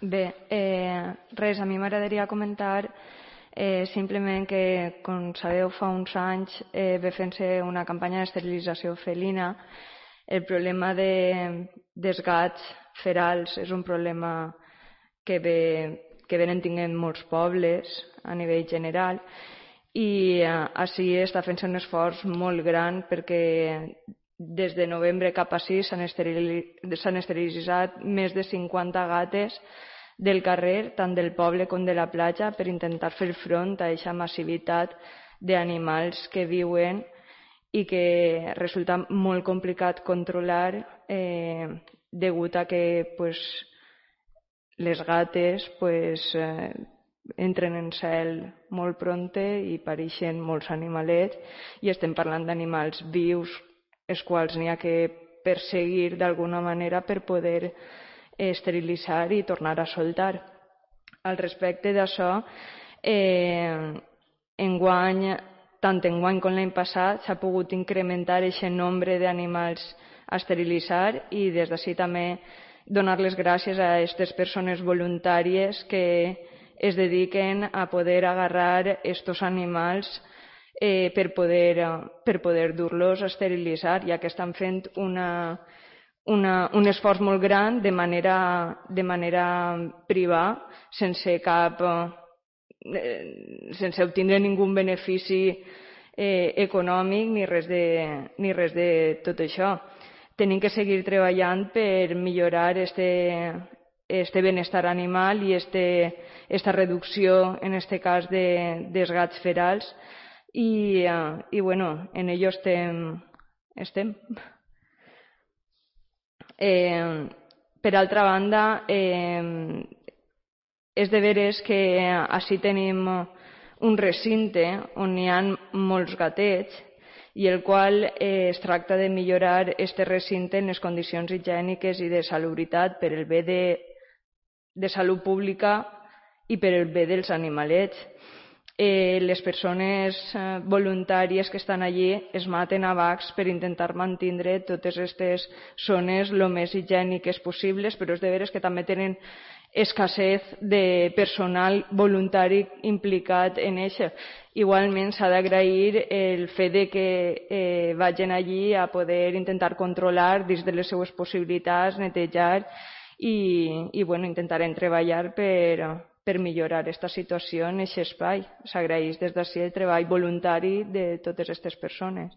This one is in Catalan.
Bé, res, a mi m'agradaria comentar simplement que, com sabeu, fa uns anys ve fent-se una campanya d'esterilització felina. El problema dels gats ferals és un problema que venen tinguent molts pobles a nivell general i així està fent-se un esforç molt gran perquè des de novembre cap així s'han esterilitzat més de 50 gates del carrer, tant del poble com de la platja, per intentar fer front a aquesta massivitat d'animals que viuen i que resulta molt complicat controlar degut a que les gates entren en cel molt prompte i pareixen molts animalets, i estem parlant d'animals vius els quals n'hi ha que perseguir d'alguna manera per poder esterilitzar i tornar a soltar. Al respecte d'això, enguany, tant enguany com l'any passat, s'ha pogut incrementar aquest nombre d'animals a esterilitzar i des d'ací també donar les gràcies a aquestes persones voluntàries que es dediquen a poder agarrar estos animals per poder dur-los a esterilitzar, ja que estan fent un esforç molt gran de manera privada, sense obtindre ningú benefici econòmic ni res de tot això. Tenim que seguir treballant per millorar este benestar animal i esta reducció, en este cas, dels gats ferals i bueno, en ello estem. Per altra banda, és de veres que així tenim un recinte on hi ha molts gatets i el qual es tracta de millorar este recinte en les condicions higièniques i de salubritat per el bé de salut pública i per el bé dels animalets. Les persones voluntàries que estan allí es maten a bacs per intentar mantindre totes aquestes zones el més higièniques possibles, però és de veres que també tenen escassez de personal voluntari implicat en això. Igualment s'ha d'agrair el fet de que vagin allí a poder intentar controlar dins de les seues possibilitats, netejar i bueno, intentarem treballar per millorar aquesta situació en aquest espai. S'agraeix des d'ací el treball voluntari de totes aquestes persones.